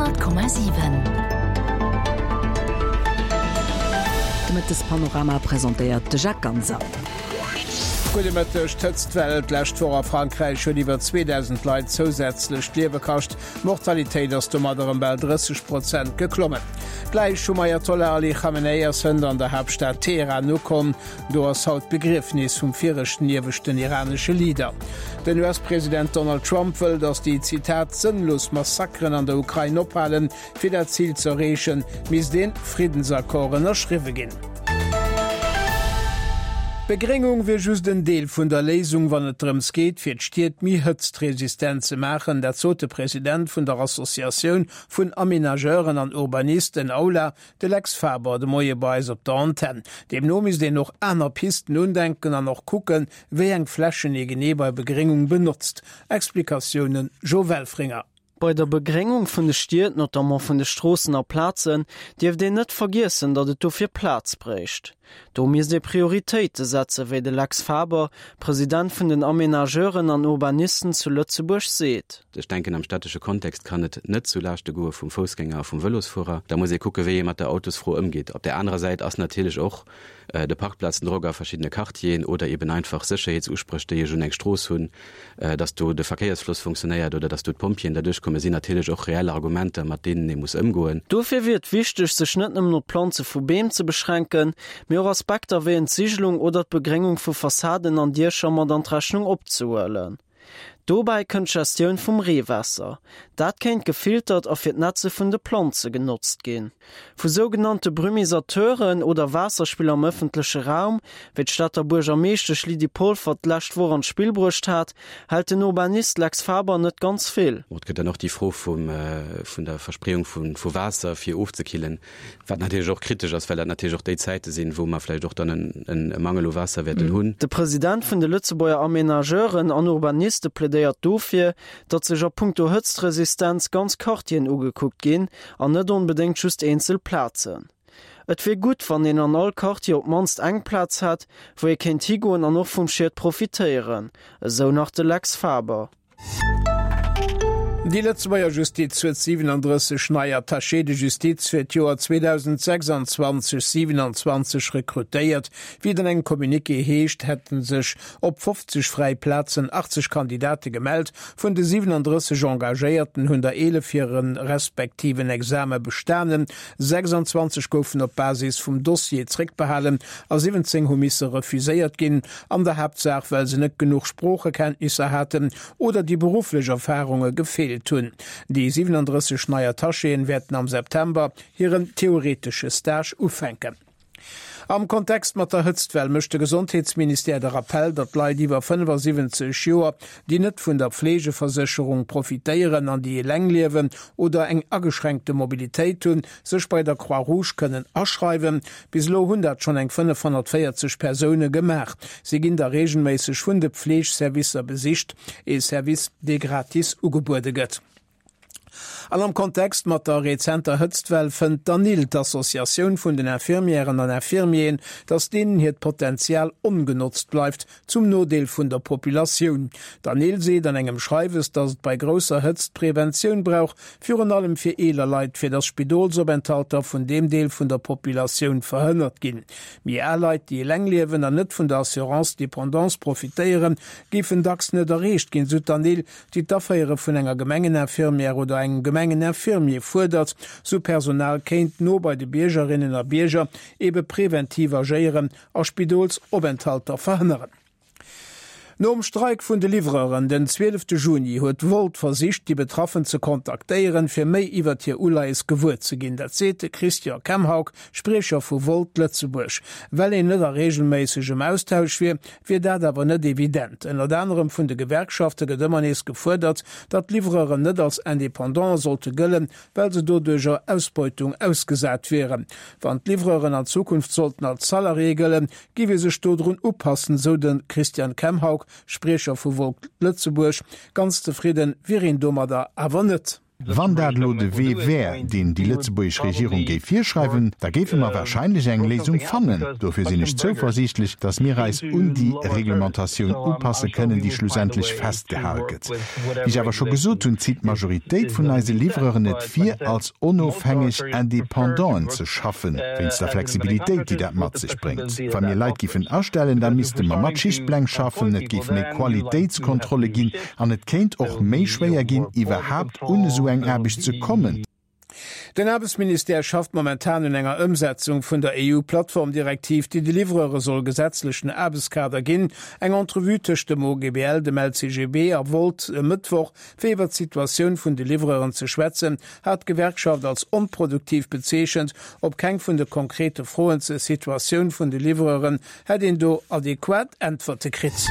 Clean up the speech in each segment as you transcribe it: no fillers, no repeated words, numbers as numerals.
100,7. De Mëttespanorama presentéiert de Jacques Ganser. Gudde Mëtteg, D'Hëtztwell d'lescht Woch a Frankräich huet iwwer 2.000 Leit zousätzlech d'Liewe kascht. D'Mortalitéit ass domat erëm bal 30 Prozent geklommen. D'Läich vum Ayatollah Ali Khamenei ass hënt an der Haaptstad Teheran ukomm. Do ass haut d'Begriefnis vum viregten ieweschten iranesche Leader. Den US-President Donald Trump wëll, datt déi, Zitat, sënnlos Massakeren an der Ukrain ophalen. Fir dat Zil ze erreechen, misst ee Friddensaccord ënnerschriwwe ginn. D'Begréngung wier just en Deel vun der Léisung, wann et drëms geet, fir d'Stied méi hëtztresistent ze maachen. Dat sot de President vun der Associatioun vun Amenageuren an Urbanisten, AULA, De Lex Faber de Moie bei eis op der Antenn. Deemno misst een och aner Pisten undenken an och kucken, wéi eng Flächen ee genee bei Begréngung benotzt. Explikatiounen Jo Welfringer. Bei der Begréngung vun de Stied, notamment vun de Stroossen a Plazen, dierft een net vergiessen, datt et dofir Plaz bréicht. Do misst ee Prioritéite setzen, wéi de Lex Faber, President vun den Amenageuren an Urbanisten zu Lëtzebuerg, seet. Ech denken, am städtesche Kontext kann et net zu Laaschte goe vum Foussgänger a vum Vëlosfuerer. Da muss ee kucke wéi ee mat der Autosfro ëmgeet. Op där anerer Säit ass natierlech och de Parkplazendrock a verschiddene Quartieren oder eben einfach Sécherheetsuspréch, déi ech un eng Strooss hunn, dass do de Verkéiersfloss funktionéiert oder dass do d'Pompjeeën derduerch kommen, sinn natierlech och reell Argumenter, mat deenen ee muss ëmgoen. Dofir wier et wichteg, sech net nëmmen op d'Planze vu Beem ze beschränken, mee och Aspekter wéi Entsigelung oder d'Begréngung vu Fassaden an Diecher mat an d'Rechnung opzehuelen. Dobäi kënnt d'Gestioun vum Reewaasser. Dat kéint gefiltert a fir d'Netze vun de Planze genotzt ginn. Vu sougenannte Brumisateuren oder Waasserspiller am ëffentleche Raum, wéi d'Stater Buergermeeschtesch Lydie Polfer d'lescht Woch an d'Spill bruecht hat, hält den Urbanist Lex Faber net ganz vill. Et gëtt dann och déi Fro vun der Verspreeung vu Waasser fir ofzekillen. Wat natierlech och kritesch ass, well dat natierlech och déi Zäite sinn, wou mer vläicht och dann e Mangel u Waasser wäerten hunn. De President vun de Lëtzebuerger Amenageuren an Urbaniste plädéiert dofir, datt sech a punkto Hëtztresistenz ganz Quartieren ugekuckt ginn an net onbedéngt just eenzel Plazen. Et wier gutt, wann een an all Quartier op d'mannst eng Plaz hätt, wou ee kéint higoen an och vum Schiet profitéieren, esou nach de Lex Faber. Déi Lëtzebuerger Justiz huet 37 nei Attachés de justice fir d'Joer 2026 27 rekrutéiert. Wéi et an engem Communiqué heescht, hätte sech op 50 fräi Plazen 80 Kandidate gemellt. Vun de 37 Engagéierten hunn der 11 hire respektiven Exame bestanen, 26 goufen op Basis vum Dossier zréckbehalen a 17 hu misse refuséiert ginn. An der Haaptsaach well se net genuch Sproochekenntnisser haten oder déi berufflech Erfarunge gefeelt hunn. Déi 37 nei Attachéen wäerten am September hiren theoretesche Stage ufänken. Am Kontext mat der Hëtztwell mécht de Gesondheetsministère de Rappell, datt Leit iwwer 75 Joer, déi net vun der Fleegeversécherung profitéieren an déi eleng liewen oder eng ageschränkte Mobilitéit hunn, sech bei der Croix-Rouge kënnen aschreiwen. Bis elo hunn dat schonn eng 540 Persoune gemaach. Si ginn da reegelméisseg vun de Pfleegservicer besicht, ee Service, dee gratis ugebuede gëtt. An am Kontext mat der rezenter Hëtztwell fënnt d'ANIL, d'Associatioun vun den Infirmièren an Infirmieren, datt deenen hiert Potenzial ongenotzt bleift, zum Nodeel vun der Populatioun. D'ANIL seet an engem Schreiwes, datt et bei grousser Hëtzt Preventioun brauch, virun allem fir eeler Leit, fir datt Spidolsopenthalter vun deem Deel vun der Populatioun verhënnert ginn. Méi al Leit, déi eleng liewen an net vun der Assurance dépendance profitéieren, géifen dacks net erreecht ginn, sou d'ANIL, déi d'Aféiere vun enger Gemengeninfirmière oder engem Gemengeninfirmier fuerdert. Sou Personal kéint no bei de Biergerinnen a Bierger ebe preventiv agéieren a Spidolsopenthalter verhënneren. Nom Streik vun de Livreuren den 12 Juni huet Wolt versicht, déi Betraffen ze kontaktéieren, fir méi iwwert hir Uleies gewuer ze ginn. Dat seet de Christian Kemhaug, Spriecher vu Wolt Lëtzebuerg. Well een net a reegelméissegem Austausch wier, wier dat awer net evident. Ënnert anerem vun de Gewerkschafte gëtt ëmmer nees gefuerdert, datt d'Livreuren net als Independante sollte gëllen, well se doduercher Ausbeutung ausgesat wieren. Wann d'Livreuren an Zukunft sollten als Salarié gëllen, géif ee sech dodrun upassen, sou de Christian Kemhaug, Spriecher vu Volt Lëtzebuerg. Ganz zefridde wier een domadder awer net. Wann dat elo de Wee wär, deen déi lëtzebuergesch Regierung géif virschreiwen, da géife mer wahrscheinlech eng Léisung fannen. Dofir sinn ech zouversiichtlech, datt mir eis un déi Reglementatioun upasse kënnen, déi schlussendlech festgehal gëtt. Wéi ech awer scho gesot hunn, zitt d'Majoritéit vun eise Livreuren et vir, als onofhängeg Independanten ze schaffen, wéinst der Flexibilitéit, déi dat mat sech bréngt. Wa mir Leit giffen astellen, da misste mer mat Schichtpläng schaffen, et géif méi Qualitéitskontrolle ginn, An et kéint och méi schwéier ginn, iwwerhaapt un esou eng Aarbecht ze kommen. Den Aarbechtsministère schafft momentan un enger Ëmsetzung vun der EU-Plattformdirektiv, déi de Livreure soll gesetzlechen Aarbechtskader ginn. Eng Entrevue tëscht dem OGBL, dem LCGB a Wolt e Mëttwoch, fir iwwer d'Situatioun vun de Livreuren ze schwätzen, hat d'Gewerkschaft als onproduktiv bezeechent. Op keng vun de konkrete Froen zur Situatioun vun de Livreuren Hätt een do adequat Äntwerte kritt?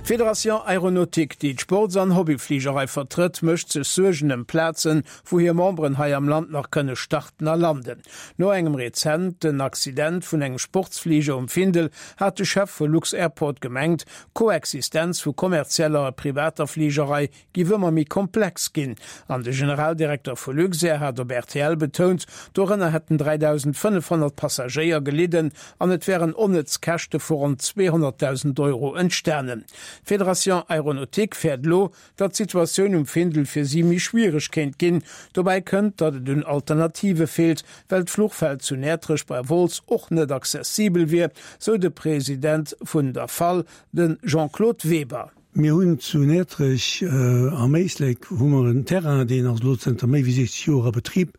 D'Fédération Aéronautique, déi d'Sports an Hobbyfligerei vertrëtt, mécht sech Suergen ëm Plazen, wou hir Memberen hei am Land nach kënne starten a landen. No engem rezenten Accident vun engem Sportsfliger um Findel hat de Chef vu Lux-Airport gemengt, d'Koexistenz vu kommerzieller a privater Fligerei giff ëmmer méi komplex ginn. An de Generaldirekter vu Luxair hat op rtl betount, dorënner hätten 3.500 Passagéier gelidden an et wären onnëtz Käschte vu ronn 200.000 Euro entstanen. D'Fédération Aéronautique fäert elo, datt d'Situatioun um Findel fir si méi schwiereg kéint ginn. Dobäi kënnt, datt et un Alternative feelt, well d'Fluchfeld zu Näertrech bei Wolz och net accessibel wier, sou de President vun der fal, de Jean-Claude Weber. Mir hunn zu Näertrech am Éislek hu mer en Terrain, deen ass elo zënter méi wéi 60 Joer a Betrib.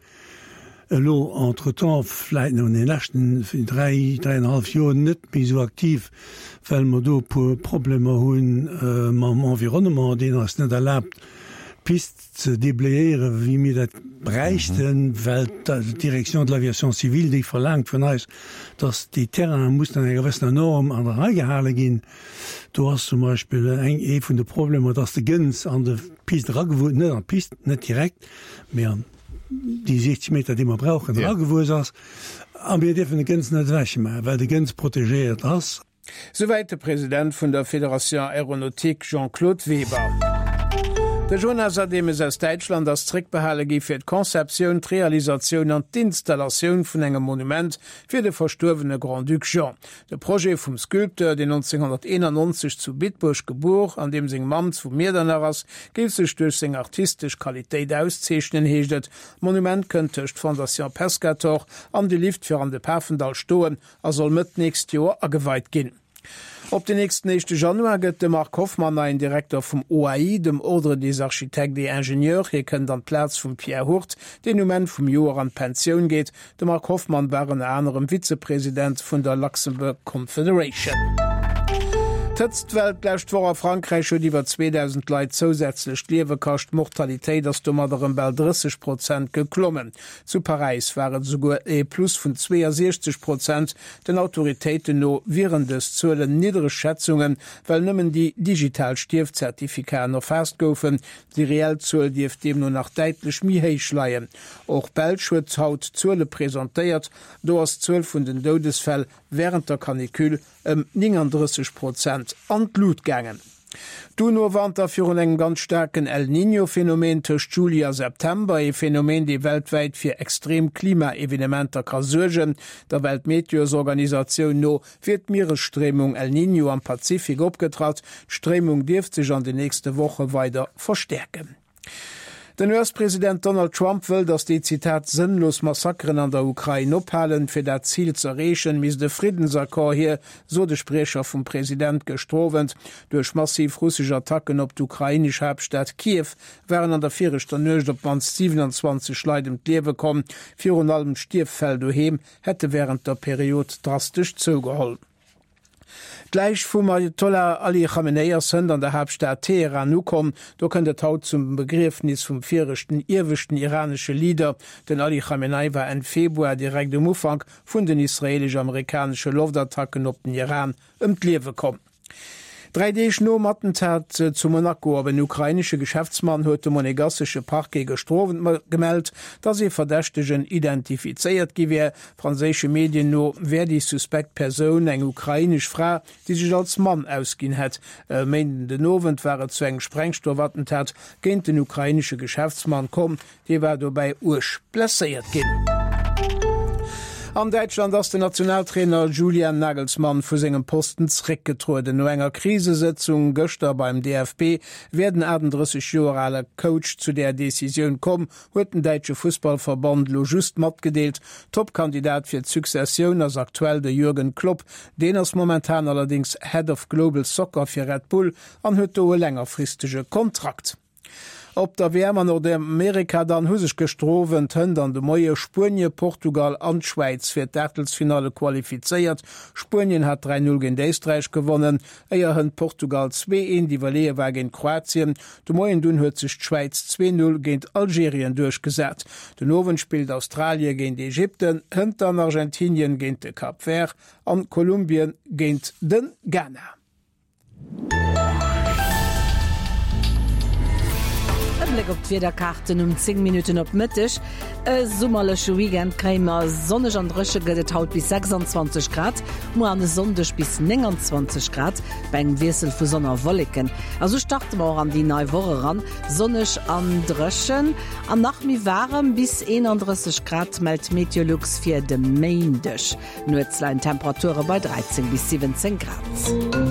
Elo entretemps, vläit no an de leschten dräi, dräienhallef Joer net méi esou aktiv, well mer do e puer Problemer hu mam Environnement, deen eis net erlaabt, d'Pist ze déblayéieren, wéi mir dat bräichten, well d'Direction de l'aviation civile, déi verlaangt vun eis, dass déi Terrainen mussen an enger gewëssener Norm an der Rei gehale ginn. Do ass zum Beispill eng, ee vun de Problemer, dass de Gëns an de Pist eragewuess, net an d'Pist, net direkt, mee an déi 60 Meter, déi mer brauchen, eragewuess ass. A mir dierfen de Gëns net ewechmaachen, well de Gëns protegéiert ass. Souwäit de President vun der Fédération Aéronautique Jean-Claude Weber. De Jonas Ademes aus Däitschland ass zréckbehale gi fir d'Conceptioun, d'Realisatioun an d'Installatioun vun engem Monument fir de verstuerwene Grand-Duc Jean. De Projet vum Sculpteur, deen 1991 zu Bitburg gebuer an deem seng Mamm zu Miedernach ass, géif sech duerch seng artistesch Qualitéit auszeechnen, heescht et. D'Monument kënnt tëscht Fondation Pescator an de Lift fir an de Pafendall stoen a soll Mëtt nächst Joer ageweit ginn. Op den nächsten éischte Januar gëtt de Marc Hoffmann neien Direkter vum OAI, dem Ordre des Architectes et Ingénieurs. Hie kënnt an d'Plaz vum Pierre Hurt, deen um Enn vum Joer an d'Pensioun geet. De Marc Hoffmann war ënner anerem Vizepresident vun der Luxembourg Confederation. D'Hëtztwell d'lescht Woch a Frankräich huet iwwer 2.000 Leit zousätzlech d'Liewe kascht. D'Mortalitéit ass domat erëm bal 30 Prozent geklommen. Zu Paräis war et esouguer e Plus vun 62 Prozent. Den Autoritéiten no wieren dës Zuelen niddereg Schätzungen, well nëmmen déi digital Stierfzertifikaten erfaasst goufen. Déi reell Zuel dierft deemno nach däitlech méi héich leien. Och d'Belsch huet haut Zuele presentéiert. Do ass d'Zuel vun den Doudesfäll wärend der Canicule ëm 39 Prozent an d'Lut gaangen. D'UNO warnt da virun engem ganz staarken El Niño-Phänomen tëscht Juli a September, ee Phänomen, dee weltwäit fir extrem Klimaevenementer ka suergen. Der Weltmeteorsorganisatioun no wier d'Mieresstréimung El Niño am Pazifik opgetratt. D'Stréimung dierft sech an den nächste Woche weider verstäerken. Den US-President Donald Trump wëll, datt déi, Zitat, sënnlos Massakeren an der Ukrain ophalen. Fir dat Zil z'erreechen, misst e Friddensaccord hier, sot e Spriecher vum President gëschter Owend. Duerch massiv russesch Attacken op d'ukrainesch Haaptstad Kiew waren an der viregter Nuecht op d'mannst 27 Leit ëm d'Liewe komm. Virun allem d'Stierffäll doheem hätte wärend der Period drastesch zougeholl. D'Läich vum Ajatollah Ali Khamenei ass hënt an der Haaptstad Teheran ukomm. Do kënnt et haut zum Begriefnis vum viregten ieweschten iranesche Leader. Den Ali Khamenei war Enn Februar, direkt um Ufank vun den israeelesch-amerikanesche Loftattacken op den Iran, ëm d'Liewe komm. Dräi Deeg nom Attentat zu Monaco op en ukrainesche Geschäftsmann huet de monegassesche Parquet gëschter Owend gemellt, datt ee Verdächtegen identifizéiert gi wär. Franséische Medien no wär déi suspekt Persoun eng ukrainesch Fra, déi sech als Mann ausginn hätt. E Méinden den Owend war et zu engem Sprengstoffattentat géint den ukrainesche Geschäftsmann komm. Dee war dobäi uerg blesséiert ginn. An Däitschland ass den Nationaltrainer Julian Nagelsmann vu sengem Posten zeréckgetrueden. No enger Krisesëtzung gëschter beim DFB wär den 38 Joer ale Coach zu där Decisioun komm, huet den däitsche Fussballverband elo just matgedeelt. Toppkandidat fir d'Successioun ass aktuell de Jürgen Klopp. Deen ass momentan allerdéngs Head of Global Soccer fir Red Bull an huet do e längerfristege Kontrakt. Op der WM an Nordamerika dann hu sech gëschter Owend, hënt an de Moie Spuenie, Portugal an d'Schwäiz fir d'Aachtelsfinalle qualifizéiert. Spuenien hat 3, 0 géint Éisträich gewonnen, éier hënt Portugal 2, 1 iwwerleeë war géint Kroatien. De Moien dunn huet sech d'Schwäiz 2, 0 géint Algerien duerchgesat. Den Owend spillt Australie géint Ägypten, hënt dann Argentinien géint de Cap Vert an Kolumbien géint de Ghana. E Bléck op d'Wiederkaarten um 10 Minutten op Mëtteg. E summerleche Weekend kréie mer. Sonneg an dréche gëtt et haut bis 26 Grad, muer an e Sonndeg bis 29 Grad bei engem Wiessel vu Sonn a Wolleken. A sou starte mer och an déi nei Woch eran, sonneg an dréchen an nach méi waarem, bis 31 Grad mellt Meteolux fir de Méindeg. Nuets leien d'Temperature bei 13 bis 17 Grad.